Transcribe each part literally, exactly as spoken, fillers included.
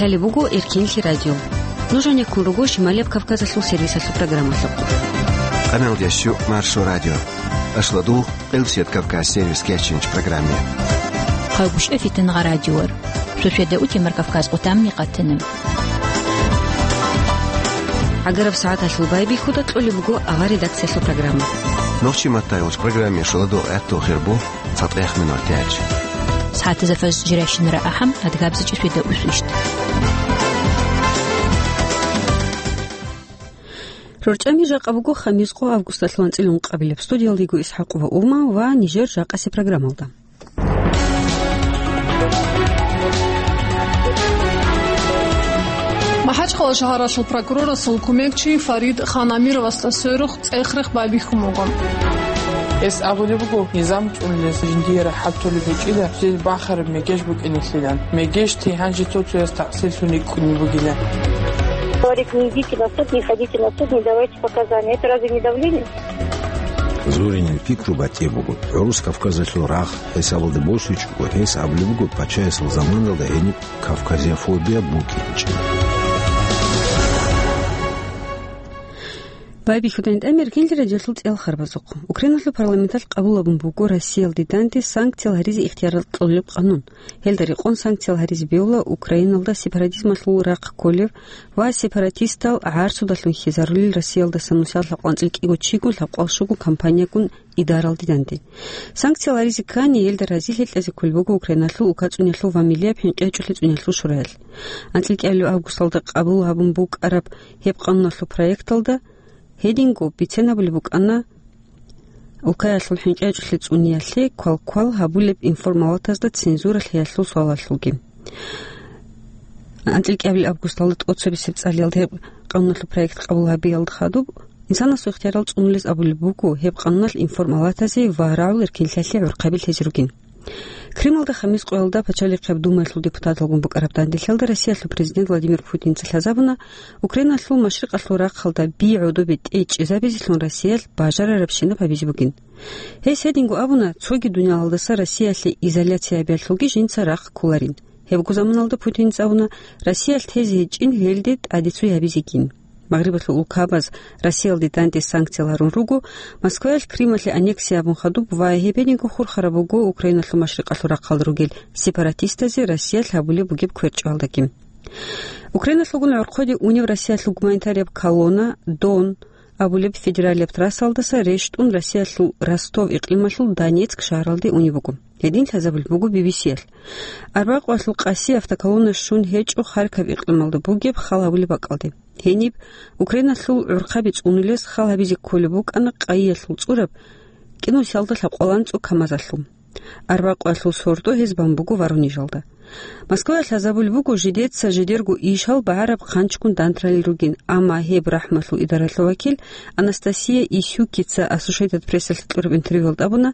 Лъалеб буго Эркенлъи радио. Нуж гьанеккун руго Шималияб Кавказалъул сервисалъул программалъухъ. Къаналдящу Маршо радио. Ашладул Къилсият Кавказ сервис кечинч программе. Хъагушев Фитнагъа радиор. Суседа утимар Кавказ къутамни къатана. ГӀагараб сагӀаталъул байбихьуда кьолеб буго авар редакциялъул программа. Нохчи маттайулч программе шуладул гӀаттул хирбу цатӀех минут тяч. СагӀатазда фаз жиращинара ахӀам адгабзичӀи суседа усвищт. РорчӀами жакъа буго хамис къо августалъул анцӀила ункъабилеб. Студиялдего ИсхӀакъова Ума ва нижер жакъасе программалда. МахӀачхъала шагьаралъул прокурорасул кумекчи Фарид Ханамировасда сверухъ цӀех-рех байбихьун буго. Гьес абулеб буго, низам цӀунулес жиндие рахӀат толеб гьечӀила, жил бахараб мегеж букӀинеблъилан. Мегеж тигьан жито цояс такъсирлъун рикӀкӀунеб бугила. Говорит, не идите на суд, не ходите на суд, не давайте показания. Это разве не давление? Зоринил пикру батӀи буго. ГӀурус Кавказалъул рагъ хӀисабалда босичӀого, гьес абулеб буго, пачаясул заманалда гьениб кавказиофобия букӀинчӀеб. Байбихьудайин тӀамир кинлъи радиолъул цӀел харбазухъ. Украиналъул парламенталъ къабул гьабун буго Россиялде данде санкциял гьаризе ихтияр кьолеб къанун. Гьелда рекъон санкциял гьаризе бевла Украиналда сепаратизмалъул рахъ кколев ва сепаратистал гӀарцудалъун хьизарулел Россиялдаса нусиялъ лъабкъванцӀил кӀиго чигун лъабкъвал щугу компаниягун идаралде данде. Санкциял гьаризе ккани, гьелда разилъи кьезе кколеб буго Украиналъул укацӀунелъул ва миллияб хӀинкъи гьечӀолъи цӀунелъул шураял. АнцӀил кӀиабилеб августалда къабул гьабун букӀараб гьеб къануналъул проекталда гьединго бицен гьабулеб букӀана улкаялъул хӀинкъи гьечӀолъи цӀуниялъе квалквал гьабулеб информалатазда цензура лъиялъул суалалъулги. АнцӀил кӀиабилеб августалда тӀоцебесеб цӀалиялда гьеб къануналъул проект къабул гьабиялда хадуб, инсанасул ихтиярал цӀунулез абулеб буго, гьеб къануналъ информалатазе ва рагӀул эркенлъиялъе гӀурхъаби лъезе ругин. Кремлда хамис къоялда Пачалихъаб Думаялъул депутаталгун букӀараб данделъалда Россиялъул президент Владимир Путинца лъазабуна, Украиналъул машрикъалъул рахъалда би гӀодобе тӀечӀезабизелъун Россиялъ бажарарабщинаб гьабизе бугин. Гьес гьединго абуна, цоги дуниялалдаса Россиялъе изоляция гьабиялъулги жинца рахъ кколарин. Гьебго заманалда Путинца абуна, Россиялъ тезе гьечӀин гьелде тӀаде цо гьабизегин. Магърибалъул улкабаз Россиялде данде санкциял гьарун руго, Москваялъ Крымалъе аннексия гьабун хадуб ва гьебениго хурхараб буго Украиналъул машрикъалъул рахъалда ругел сепаратистазе Россиялъ гьабулеб бугеб кверчӀалдаги. Украиналъулгун гӀорхъоде унев Россиялъул гуманитарияб колонна Дон абулеб федералияб трассалдаса рещтӀун Россиялъул Ростов икълималъул Донецк шагьаралде унеб буго. Гьедин лъазабулеб буго Би Би Си-ялъ. Арбакъвалъул къаси автоколонна щун гьечӀо Харьков икълималда бугеб хал гьабулеб бакӀалде. Гьениб Украиналъул гӀурхъаби цӀунулес хал гьабизе кколеб букӀана къайиялъул цӀураб кӀинусиялда лъабкъваланцӀу КамАЗалъул. Арбакъвалъул сордо гьез бан буго Воронежалда. Москваялъ лъазабулеб буго, жидеца жидерго ишал багӀараб хъанчгун дантралел ругин, амма гьеб рахӀмалъул идаралъул вакил Анастасия Исюкица Associated Press-алъе кьураб интервьюялда абуна,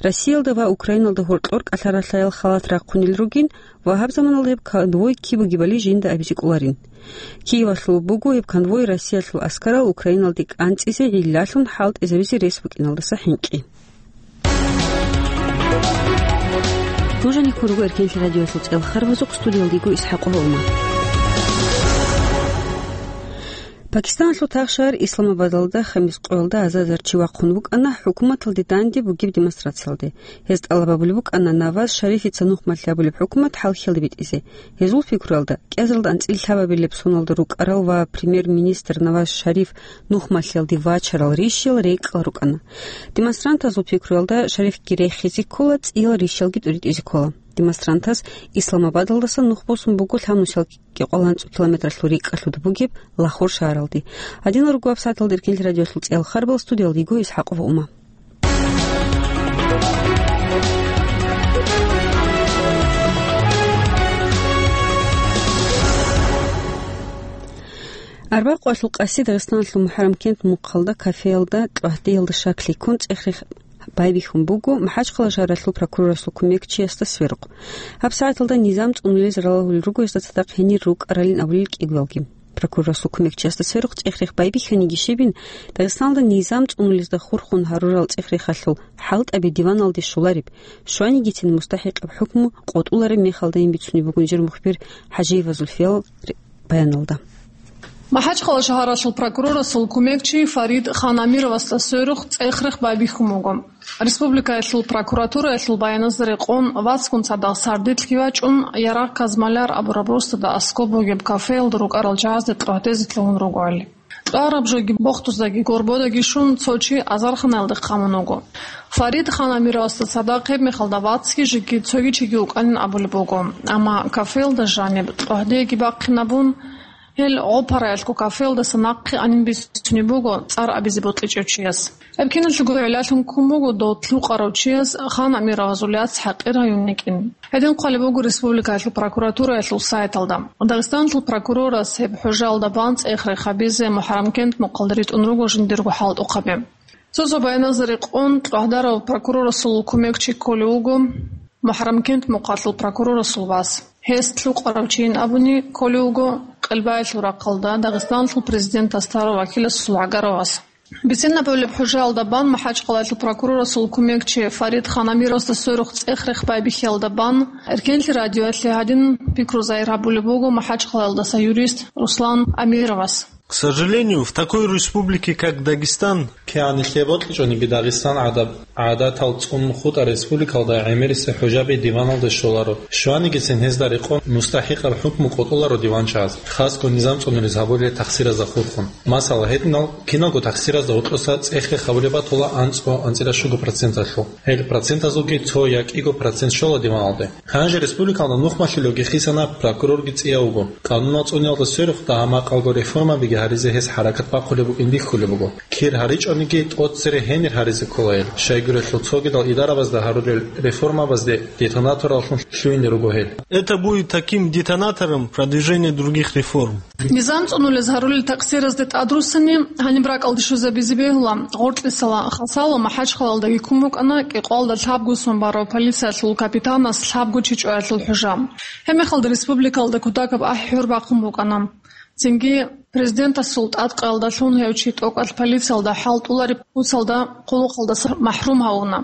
Россиялда ва Украиналда гьоркьор кӀалъаралъаял халат рахъунел ругин ва гьаб заманалда гьеб конвой киб бугебали жинда абизе кӀоларин. Киевалъул буго гьеб конвой Россиялъул аскарал Украиналде кӀанцӀизе гӀиллалъун хӀалтӀизабизе рес букӀиналдаса хӀинкъи. Нуж гьанеккун руго Эркенлъи радиоялъул цӀел харбазухъ, студиялда йиго ИсхӀакъова Ума. Пакистаналъул тахшагьар Исламабадалда хамис къоялда азар-азар чи вахъун вукӀана хӀукуматалде данде бугеб демонстрациялде. Гьез тӀалаб гьабулеб букӀана Наваз Шарифица нухмалъи гьабулеб хӀукумат хӀалхьиялде битӀизе. Гьезул пикруялда, кӀиазаралда анцӀила лъабабилеб соналда рукӀарал ва премьер-министр Наваз Шариф нухмалъиялде вачарал рищал рекӀкӀал рукӀана. Демонстрантазул пикруялда, Шарифги рехизе ккола, цӀиял рищалги тӀуритӀизе ккола. Демонстрантаз Исламабадалдаса нух босун буго лъабнусиялги къоланцӀу километралъул рикӀкӀалъуда бугеб Лахор шагьаралде. Гьадинал руго гьаб сагӀаталда Эркенлъи радиоялъул цӀел харбал, студиялда йиго ИсхӀакъова Ума. Арбакъвалъул къаси Дагъистаналъул МухӀаррам-кент мухъалда кафеялда кьвагьдиялда шаклъи ккун цӀех-рех байбихьун буго МахӀачхъала шагьаралъул прокурорасул кумекчиясда сверухъ. Гьаб сагӀаталда низам цӀунулез ралагьулел руго гьезда цадахъ гьенир рукӀаралин абулел кӀиявалги. Прокурорасул кумекчиясда сверухъ цӀех-рех байбихьаниги щибин, Дагъистаналда низам цӀунулезда хурхун гьарурал цӀех-рехалъул хӀалтӀаби диваналде щолареб, щванигицин мустахӀикъаб хӀукму къотӀулареб мехалдайин бицунеб бугин жер мухбир ХӀажиева Зульфиял ре-, баяналда. МахӀачхъала шагьаралъул прокурорасул кумекчи Фарид Ханамировасда сверухъ цӀех-рех байбихьун буго. Республикаялъул прокуратураялъул баяназда рекъон, вацгун цадахъ сардилъги вачӀун, Ярагъ Казмаляр абураб росдада аскӀоб бугеб кафеялда рукӀарал жагьазде кьогьдезе лъугьун ругоали. КьвагӀараб жоги бохтуздаги горбодаги щун, цо чи азарханаялде хъамун вуго. Фарид Ханамировасда цадахъ гьеб мехалда вацги жеги цоги чиги вукӀанин абулеб буго, амма кафеялда жаниб кьогьдеги бахъинабун, гьел гъопараялъго кафеялдаса нахъе анин бицунеб буго цӀар абизе бокьичӀев чияс. Гьеб киналъего гӀиллалъун ккун буго дов лъукъарав чияс Ханамировазул яц ХӀакъир гьаюн йикӀин. Гьедин хъвалеб буго республикаялъул прокуратураялъул сайталда. Дагъистаналъул прокурорас гьеб хӀужаялда бан цӀех-рех гьабизе МухӀаррамкент мухъалда ритӀун руго жиндирго хӀалтӀухъаби. Цо-цо баяназда рекъон, кьогьдарав прокурорасул кумекчи кколев вуго МухӀаррамкент мухъалъул прокурорасул вас. Гьес лъукъарав чийин абуни кколев вуго Къелбаялъул рахъалда Дагъистаналъул президент Астаров Акиласул гӀагарав вас. Бицинабулеб хӀужаялда бан МахӀачхъалаялъул прокурорасул кумекчи Фарид Ханамировасда сверухъ цӀех-рех байбихьиялда бан, Эркенлъи радиоялъе гьадин пикру загьир гьабулеб буго МахӀачхъалаялдаса юрист Руслан Амировас. К сожалению, в такой республике, как Дагестан, кигӀан нилъее бокьичӀониги Дагъистан гӀадаб гӀадатал цӀун хутӀа республикалда гӀемерисеб хӀужаби диваналде щоларо. Щванигицин гьезда рекъон мустахӀикъаб хӀукму къотӀуларо диванчагӀаз, хасго низам цӀунулез гьабулел тахсиразда хурхун. Масала, гьединал киналго тахсиразда гьоркьоса цӀех-рех гьабулеб батула анцӀго-анцӀила щуго проценталъул. Гьел процентазулги цо я кӀиго процент щола диваналде. Гьанже республикалда нухмалъулевги хисана прокурорги цӀияв вуго. Къануналъ цӀуниялда сверухъ дагьа-макъалго реформабиги гьаризе гьес хӀаракат бахъулеб букӀин бихьулеб буго. Кир гьаричӀониги, тӀоцере гьенир гьаризе ккола гьел. Щайгурелъул цогидал идарабазда гьарурел реформабазде детонатораллъун лъугьине руго гьел. Это будет таким детонатором продвижения других реформ. Низам цӀунулез гьарулел такъсиразде тӀадруссани, гьаниб ракӀалде щвезабизе бегьула Гъоркьисала Хасало МахӀачхъалалдаги ккун букӀана кӀикъоялда лъабго сон барав полициялъул капитанас лъабго чи чӀваялъул хӀужа. Гьебмехалда республикалда кутакаб ахӀи-хӀур бахъун букӀана. Цинги президентасул тӀадкъаялдалъун гьев чи тӀокӀалъ полициялда хӀалтӀулареб куцалда хъулухъалдаса махӀрум гьавуна.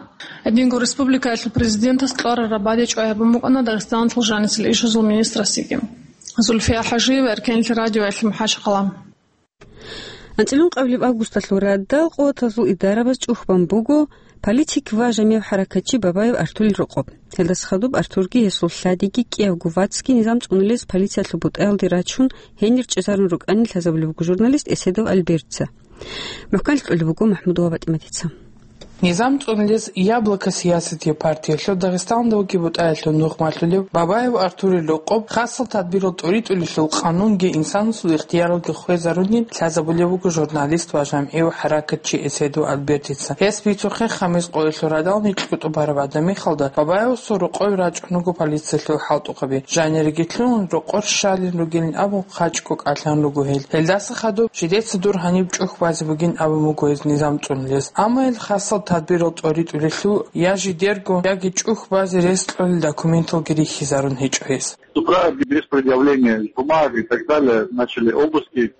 Гьединго республикаялъул президентас кьварараб бадиб чӀвай гьабун букӀана Дагъистаналъул жанисел ишазул министрасиги. Зульфия ХӀажиева, Эркенлъи радиоялъе, МахӀачхъала. АнцӀила ункъабилеб августалъул радал къуватазул идарабаз чӀухбан буго политик ва жамигӀ хӀаракатчи Бабаев Артурил рокъоб. Гьелдаса хадуб Артурги гьесул лъадиги кӀиябго вацги низам цӀунулез полициялъул бутӀаялде рачун, гьенир чӀезарун рукӀанин лъазабулеб буго журналист Эседов Альбертца. МухӀканлъи кьолеб буго МахӀмудова ПатӀиматица. Низам цӀунулез «Яблоко» сиясатияб партиялъул Дагъистаналда вугеб бутӀаялъул нухмалъулев Бабаев Артурил рокъоб хасал тадбирал тӀоритӀулелъул къанунги инсанасул ихтияралги хвезарунин лъазабулеб буго журналист ва жамгӀив хӀаракатчи Эседов Альбертица. Гьес бицухъе, хамис къоялъул радални кьутӀу бараб гӀадамихалда Бабаевасул рокъове рачӀун руго полициялъул хӀалтӀухъаби. Жанириги лъугьун, рокъор щалин ругилин абун хъачӀго кӀалъан руго гьел. Гьелдаса хадуб жидеца дур гьаниб чӀухь базе бугин абун буго гьез низам цӀунулез. Амма гьел хасал тадбирал тӀоритӀулелъул я жидерго, яги чӀухь базе рес кьолел документалги рихьизарун гьечӀо гьес. С утра без предъявления бумаг и так далее начали обыски.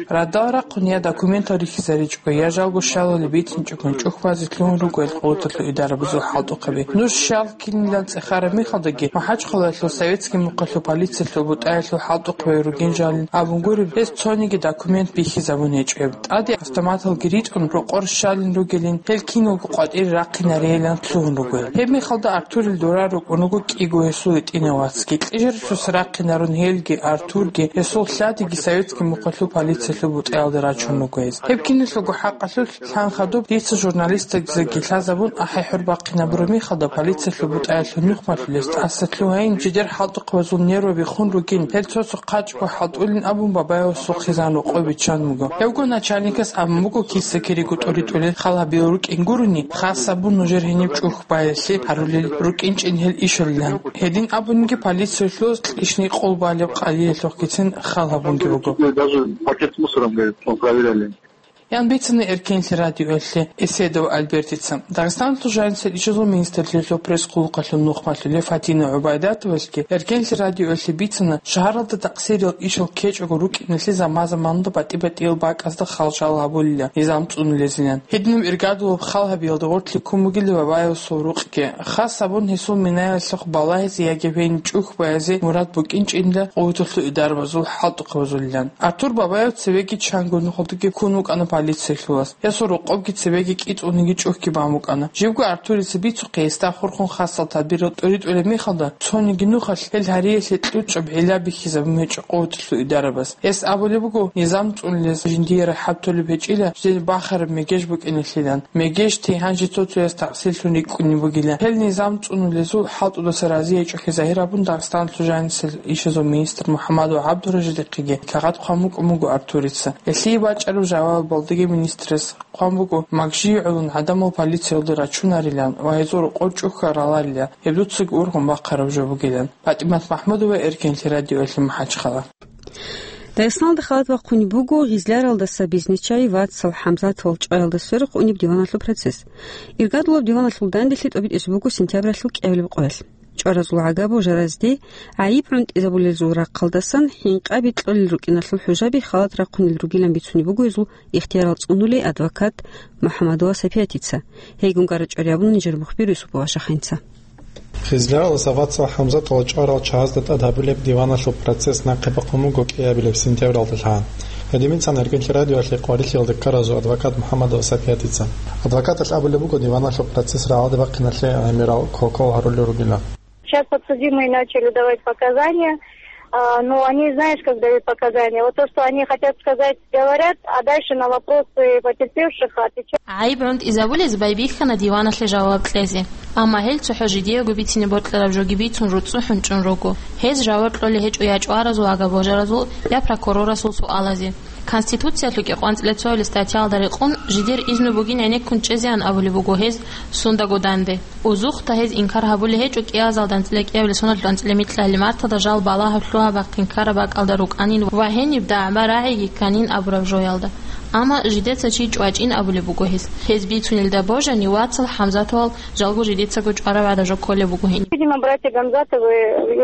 Радал рахъун я документал рихьизаричӀого, я жалго щалалеб бицинчӀого чӀухь базе лъугьун руго гьел къуваталъул идарабазул хӀалтӀухъаби. Нуж щал кинилан цӀехараб мехалдаги, МахӀачхъалаялъул советский мухъалъул полициялъул бутӀаялъул хӀалтӀухъабай ругин жалин абун гуреб, гьес цониги документ бихьизабун гьечӀеб. ТӀаде автоматалги ритӀун, рокъор щалин ругелин, гьел киналго къватӀире рахъинарейилан лъугьун руго. Гьеб мехалда Артурил дора рукӀун руго кӀиго гьесул гьитӀинав вацги. Кьижарасдаса рахъинарун гьелги, Артурги, гьесул лъадиги советский мухъалъул полициялъул бутӀаялда рачун руго гьез. Гьеб киналъулго хӀакъалъулъ лъан хадуб дица журналистазеги лъазабун ахӀи-хӀур бахъинабураб мехалда полициялъул бутӀаялъул нухмалъулез тӀаса лъугьайин, жидер хӀалтӀухъабазул нерваби хун ругин, гьел цо-цо хъачӀго хӀалтӀулин абун Бабаевасул хъизан рокъов биччан буго. Гьевго начальникас абун буго киса-кириго тӀоритӀулел хал гьабиялъул рукӀин гурони, хасабун нужер гьениб чӀухь баялъе гьарулел рукӀинчӀин гьел ишалилан. Гьедин абунги полициялъул кьишни къол балеб къалиялъухъгицин хал гьабунги буго. Даже пакет с мусором, говорит, мы проверяли. ян бицана Эркенлъи радиоялъе Эседов Альбертица. Дагъистаналъул жанисел ишазул министрлъиялъул пресс-хъулухъалъул нухмалъулев Фатина ГӀубайдатовалъги Эркенлъи радиоялъе бицана, шагьаралда такъсирал ишал ккечӀого рукӀиналъе заман-заманалда батӀи-батӀиял бакӀазда хал-шал гьабулила, низам цӀунулезилан. Гьединаб иргадулаб хал гьабиялда гъорлъ ккун бугила Бабаевасул рукъги. Хас гьабун гьесул минаялъухъ балагьизе яги гьениб чӀухь баязе мурад букӀинчӀила къуваталъул идарабазул хӀалтӀухъабазулилан. Артур Бабаев цевеги чанго нухалдаги ккун вукӀана полициялъул вас. Гьесул рокъобги цевеги кӀицӀулниги чӀухьги бан букӀана. Жибго Артурица бицухъе гьесда хурхун хасал тадбирал тӀоритӀулеб мехалда, цониги нухалъ гьел гьариялъе кьучӀаб гӀилла бихьизабун гьечӀо къуваталъул идарабаз. Гьес абулеб буго, низам цӀунулез жиндие рахӀат толеб гьечӀила, жидер бахараб мегеж букӀиналъилан. Мегеж тейгьан жицо-цояс такъсирлъун рикӀкӀунеб бугила. Гьел низам цӀунулезул хӀалтӀудаса разиячӀухъе загьир гьабун, Дагъистаналъул жанисел ишазул министр МухӀаммадов ГӀабдуражидихъеги кагъат хъван букӀун буго Артурица. Гьелъие бачӀараб жавабалдаги министрас хъван буго, магжи гӀолун гӀадамал полициялде рачунарилан ва гьезул рокъор чӀухьараларила, гьеб дуцаги ургъун бахъараб жо бугилан. ПатӀимат МахӀмудова, Эркенлъи радиоялъе МахӀачхъала. Дагъистаналда халат бахъунеб буго Гъизляралдаса бизнесчи Вацал ХӀамзатовал чӀваялда сверухъ унеб диваналъул процесс. Иргадулаб диваналъул данделъи тӀобитӀизе буго сентябралъул кӀиабилеб къоялъ. ЧӀваразул гӀага божаразде гӀайиб гӀунтӀизабулелзул рахъалдасан хӀинкъаби кьолел рукӀиналъул хӀужаби халат рахъунел ругилан бицунеб буго гьезул ихтиярал цӀунулей адвокат МухӀаммадова Сапиятица. Гьейгун гара чӀвари абуна нижер мухбир Юсупова Шахинца. Гъизляралдаса Вацал ХӀамзатовал чӀварал чагӀазда тӀад гьабулеб диваналъул процесс нахъе бахъун буго кӀиабилеб сентябралда лъан. Гьедин бицана Эркенлъи радиоялъе къварилъиялда ккаразул адвокат МухӀаммадова Сапиятица. Адвокаталъ абулеб буго диваналъул процесс рагӀалде бахъиналъе гӀемерал кокол гьарулел ругилан. Сейчас подсудимые начали давать показания, а, но они, знаешь, как дают показания? Вот то, что они хотят сказать, говорят, а дальше на вопросы потерпевших отвечают. ГӀайиб гӀунтӀизабулез байбихьана диваналъе жаваб кьезе. Амма гьел цохӀо жидеего бицине бокьараб жоги бицун руцӀцӀухӀун чӀун руго. Гьез жаваб кьолей гьечӀо я чӀваразул гӀага божаразул, я прокурорасул суалазе. Конституциялъул кӀикъоялда цоялъ статьялда рекъон, жидер изну бугин гӀенеккун чӀезеян абулеб буго гьез сундаго данде. Узухъда гьез инкар гьабулей гьечӀо кӀиазалда анцӀила кӀиабилеб соналъул анцӀила микьалъ марталда жал балагьаб лъугьа-бахъин ккараб бакӀалда рукӀанин ва гьениб дагӀба-рагӀиги кканин абураб жоялда. Амма жидеца чи чӀвачӀин абулеб буго гьез. Гьез бицунелда божани, Вацал ХӀамзатовал жалго жидецаго чӀвараб гӀадаб жо кколеб буго гьениб. Видимо, братья Гамзатовы,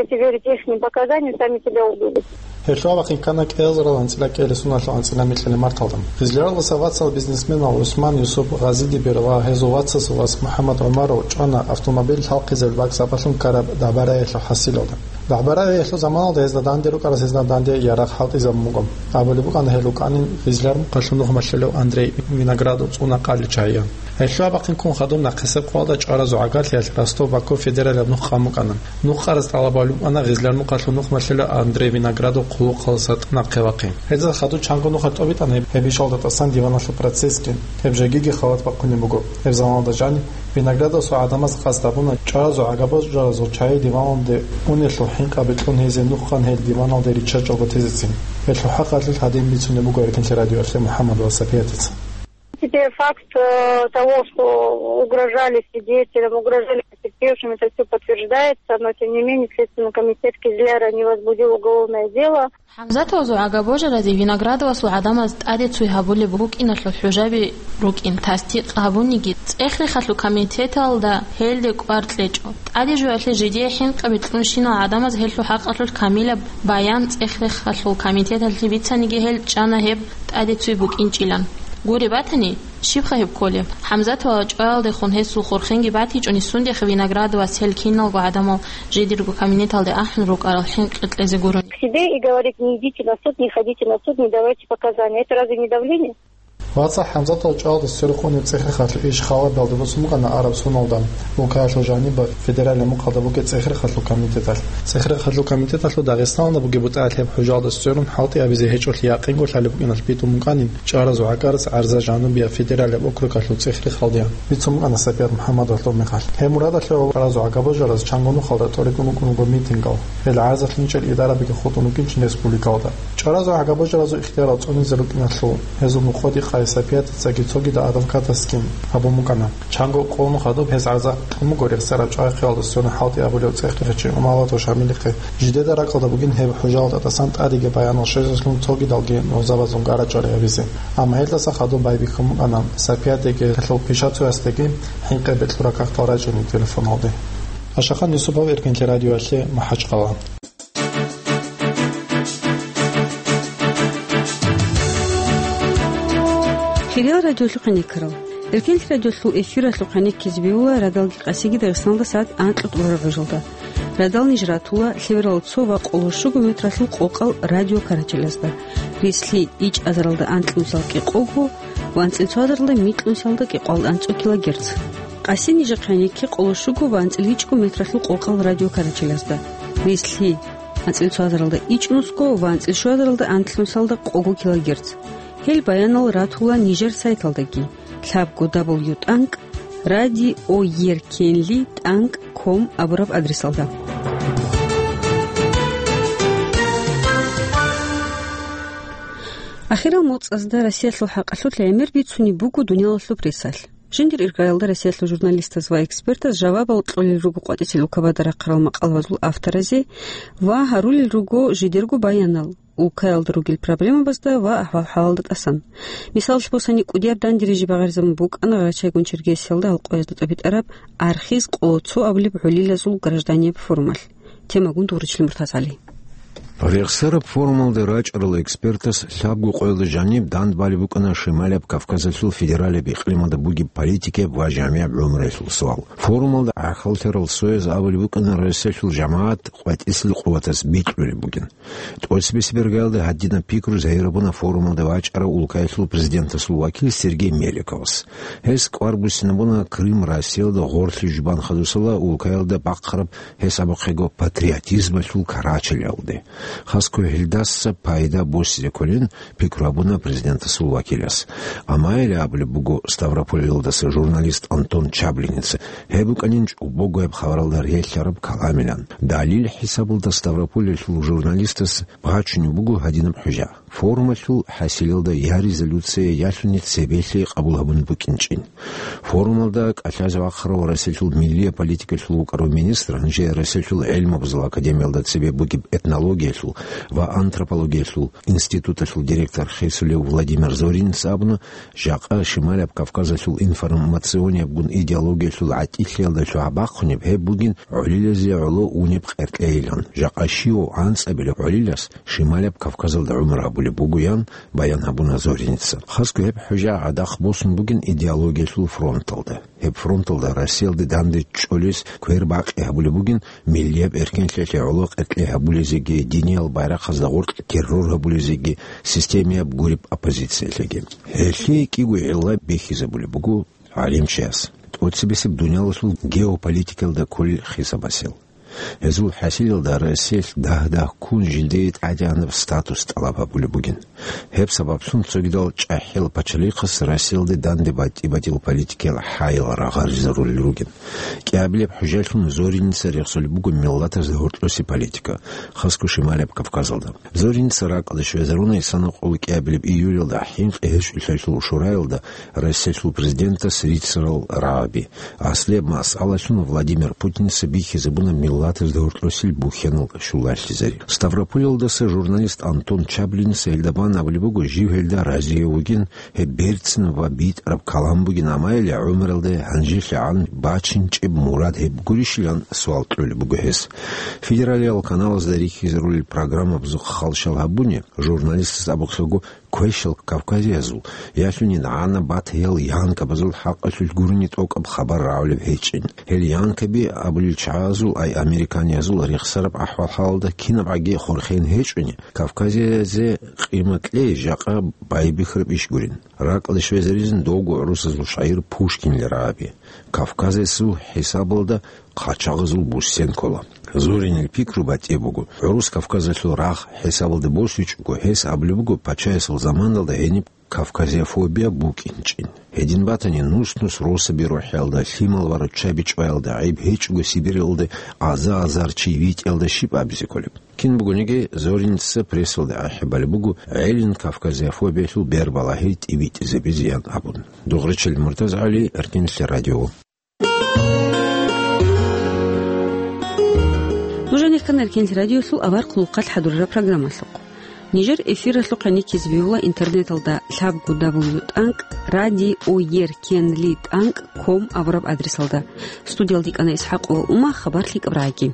если верить ихним показаниям, сами себя убили. Гьелъул абахъин ккана кӀиазарал анцӀила кӀиабилеб соналъул анцӀила микьалъ марталда. Гъизляралдаса Вацал бизнесменал ГӀусман, Юсуп, Гъазидибир ва гьезул вацасул вас МухӀаммад ГӀумаров чӀвана автомобиль лъалхъизабулеб бакӀ сапалъун ккараб дагӀба-рагӀиялъул хӀасилалда. ДагӀба-рагӀиялъул заманалда гьезда данде рукӀарас гьезда данде ярагъ хӀалтӀизабун буго. Абулеб букӀана гьел рукӀанин Гъизлярмухъалъул нух малъулев Андрей Виноградов цӀуна къалил чагӀиян. Гьелъул абахъин ккун хадуб нахъисеб къоялда чӀваразул гӀагарлъиялъ Ростов-Баку федералияб нух къан букӀана. Нух къараз тӀалаб гьабулеб букӀана Гъизлярмухъалъул нух малъулев Андрей Виноградов хъулухъалдаса нахъе вахъин. Гьезда хадуб чанго нухалъ тӀобитӀана гьеб, гьеб ишалда тӀасан диваналъул процессги, гьеб жегиги халат бахъунеб буго. Гьеб заманалда жаниб Виноградовасул гӀадамаз къасд гьабуна чӀваразул гӀага божаразул чагӀи диваналде унелъул хӀинкъаби кьун гьезие нух къан гьел диваналде риччачӀого тезецин. Гьелъул хӀакъалъулъ гьадин бицунеб буго Эркенлъи радиоялъе МухӀаммадова Сапиятица. Теперь факт, э, того, что угрожали свидетелям, угрожали потерпевшим, это всё подтверждается, но тем не менее Следственный комитет Кизляра не возбудил уголовное дело. ХӀамзатовазул гӀага божаразе Виноградовасул гӀадамаз тӀаде цуй гьабулеб букӀиналъул хӀужаби рукӀин тасдикъ гьабуниги, ЦӀехрехалъул комитеталда гьелде кӀвар кьечӀо. ТӀаде жоялъе жидее хӀинкъаби кьунщинал гӀадамаз гьелъул хӀакъалъулъ камилаб баян ЦӀехрехалъул комитеталъе бицаниги гьел чӀана гьеб тӀаде цуй букӀинчӀилан. Гуре батани, щибха гьеб кколеб? ХӀамзатовал чӀваялдехун гьесул хурхенги батичӀони, сундеха Виноградовас гьел киналго гӀадамал жидерго кабинеталде ахӀун рукӀарал хӀинкъи кьезе гурони. К себе и говорит: «Не идите на суд, не ходите на суд, не давайте показания». Это разве не давление? Вацал ХӀамзатовал чӀваялда сверухъ унеб ЦӀехрехалъул иш халабиялда босун букӀана араб соналда. Улкаялъул жаниб федералияб мухъалда бугеб ЦӀехрехалъул комитеталъ. ЦӀехрехалъул комитеталъул Дагъистаналда бугеб бутӀа лъеб хӀужалда сверун хӀалтӀи абизе гьечӀолъи якъинго лъалеб букӀиналъ битӀун букӀанин, чӀваразул гӀагарас гӀарза жанубияб федералияб округалъул ЦӀехрехалдеян бицун букӀана Сапият МухӀаммадовалъул мехалъ. Гьеб мурадалъе гӀаразул гӀагабожараз чанго нухалда тӀоритӀун букӀун буго митингал. Гьел гӀарзалъ инчӀел идарабиги хутӀун букӀинчӀин республикалда. ЧӀваразул гӀагабожаразул ихтиярал цӀунизе рукӀиналъул гьезул нуходи Сапиятицаги цогидал адвокатасги гьабун букӀана. Чанго къулун хадуб гьез гӀарза кьун буго рехсараб чӀвай-хъиялда сверун хӀалтӀи абулев цӀех-, цӀехечи Умалатов Шамилихъе. Жидеда ракӀалда бугин гьеб хӀужалда тӀасан тӀадеги баянал щвезеблъун цогидалги нугӀзабазул гара-чӀвари гьабизе. Амма гьелдаса хадуб байбихьун букӀана Сапиятиги гьелъул пишацоясдаги хӀинкъи бекьураб кагътал рачӀине телефоналде. Ашахан Юсупов, Эркенлъи радиоялъе, МахӀачхъала. Хириял радиолъухъ гӀенеккарал. Эркенлъи радиолъул эфиралъухъ гӀенеккизе бегьула радалги къасиги Дагъистаналда сагӀат анкьго тӀурараб гӀужалда. Радал ниж ратула лъеберал цо ва къоло щуго метралъул къокъал радио карачелазда, рислъи ичӀазаралда анкьнусал кӀикъого ва анцӀил цоазаралда микьнусалда кӀикъоялда анцӀго килогерц. Къаси нижехъ гӀенекке къоло щуго ва анцӀил ичӀго метралъул къокъал радио карачелазда, рислъи анцӀил цоазаралда ичӀнусго ва анцӀил щуазаралда анкьнусалда къого килогерц. Гьел баянал ратула нижер сайталдаги, лъабго дабл ю тӀанкӀ радиоеркенли тӀанкӀ ком абураб адресалда. Ахирал моцӀазда Россиялъул хӀакъалъулъ гӀемер бицунеб буго дуниялалъул прессалъ. Жиндир иргаялда Россиялъул журналистаз ва экспертаз жавабал кьолел руго къватӀисел улкабада рахъарал макъалабазул авторазе ва гьарулел руго жидерго баянал улкаялда ругел проблемабазда ва ахӀвал-хӀалалда тӀасан. Мисалалъе босани, кӀудияб данде рижи багъаризабун букӀана Гъарачайгун Чергесиялда гьал къоязда тӀобитӀараб «Архиз къоло цо» абулеб гӀолилазул гражданияб форумалъ. Темагун дугӀручилин МуртазгӀали. Рехсараб форумалда рачӀарал экспертас лъабго къоялда жаниб дандбалеб букӀана Шималияб Кавказалъул федералияб икълималда бугеб политикияб ва жамигӀаб гӀумруялъул суал. Форумалда гӀахьаллъарал цояз абулеб букӀана, Россиялъул жамагӀат къватӀисел къуватас бикьулеб бугин. ТӀоцебесеб иргаялда гьадинаб пикру загьирабуна форумалда вачӀарав улкаялъул президентасул вакил Сергей Меликовас. Гьес кӀвар буссинабуна Крым Россиялда гъорлъи жубан хадусала улкаялда бахъараб, гьес абухъего, патриотизмалъул карачелалде. Хасго гьелдаса пайда босизе кколин пикру гьабуна президентасул вакилас. Амма гьеле абулеб буго Ставрополалдаса журналист Антон Чаблиница, гьеб букӀанин чӀобогояб хабаралда релълъараб каламилан. Далил хӀисабалда Ставрополалъул журналистас бачунеб буго гьадинаб хӀужа. Форумалъул хӀасилалда я резолюция, ялъуни цебелъи къабул гьабун букӀинчӀин. Форумалда кӀалъазе вахъарав Россиялъул миллияб политикалъул вукӀарав министр, гьанже Россиялъул гӀелмабазул академиялда цебе бугеб этнологиялъул ва антропологиялъул институталъул директор хисулев Владимир Зоринец абуна, жакъа Шималияб Кавказалъул информациониябгун идеологиялъул гӀатӀилъиялда лъугӀа бахъунеб гьеб бугин гӀолилазе гӀоло унеб къеркьейилан. Жакъа щивав анцӀабилеб гӀолилас Шималияб Кавказалда гӀумру гьабулеб бугоян баян гьабуна Зоринеца. Хасго гьеб хӀужа гӀадахъ босун бугин идеологиялъул фронталда. Гьеб фронталда Россиялде данде чӀолес квер-бакъи гьабулеб бугин миллияб эркенлъиялъе гӀоло къеркьей гьабулезеги, диниял байрахъазда гъоркь террор гьабулезеги, системияб гуреб оппозициялъеги. Гьелъие кӀиго гӀилла бихьизабулеб буго гӀалимчияс. ТӀоцебесеб дуниялалъул геополитикалда кколел хисабасел. Гьезул хӀасилалда Россиялъ дагь-дагьккун жиндие тӀадегӀанаб статус тӀалаб гьабулеб бугин. Гьеб сабаблъун цогидал чӀахӀиял пачалихъас Россиялде данде батӀи-батӀиял политикиял хӀаял рагъаризарулел ругин. КӀиабилеб хӀужалъун Зоринеца рехсолеб буго миллатазда гьоркьоси политика, хасго Шималияб Кавказалда. Зоринеца ракӀалде щвезаруна исана къоло кӀиабилеб июлялда ХӀинкъи гьечӀолъиялъул шураялда Россиялъул президентас рицарал рагӀаби. Аслияб масъалалъун Владимир Путинца бихьизабуна миллатазда гьоркьосил бухьанал щулалъизари. Ставрополалдаса журналист Антон Чаблинца гьелда бан абулеб буго, жив гьелда разие вугин, гьеб берцинаб ва битӀараб калам бугин, амма гьеле гӀумралда гьанжелъагӀан бачинчӀеб мурад гьеб гурищилан суал кьолеб буго гьес. Федералиял каналазда рихьизарулел программабазухъ хал-шал гьабуни, журналистаз абухъего, квешал кавказиязул, ялъуни гӀана батаял янкабазул хӀакъалъулъ гурони тӀокӀаб хабар рагӀулеб гьечӀин. Гьел янкаби абулел чагӀазул, ай американиязул рехсараб ахӀвал-хӀалалда кинабгӀаги хурхен гьечӀони, кавказиязе къимат кьей жакъа байбихьараб иш гурин. РакӀалде щвезаризин довго гӀурусазул шагьир Пушкинил рагӀаби. Кавказасул хӀисабалда хъачагъазул буссен ккола. Зоринил пикру батӀи буго, гӀурус Кавказалъул рагъ хӀисабалда босичӀого, гьес абулеб буго, пачаясул заманалда гьениб кавказиофобия букӀинчӀин. Гьедин батани, нус-нус росаби рухӀиялда, лъимал ва руччаби чӀваялда гӀайиб гьечӀого Сибиралда аза-азар чи витӀиялда щиб абизе кколеб? Кин бугониги, Зоринца прессалда ахӀи балеб буго, гӀелин Кавказиафобиялъул бербалагьи тӀибитӀизабизеян абун. Дугъричил МуртазгӀали, Эркинлъи радио. Нуж гьанир ккана Эркинлъи радиолъул авар хъулухъалъ хӀадурараб программалъухъ. Нижер эфиралъухъ гьаниккизе бегьула интернеталда лъабго дабл ю тӀанкӀ радиоеркенли тӀанкӀ ком абураб адресалда. Студиялда йикӀана ИсхӀакъова Ума, хабар лъикӀаб рагӀаги.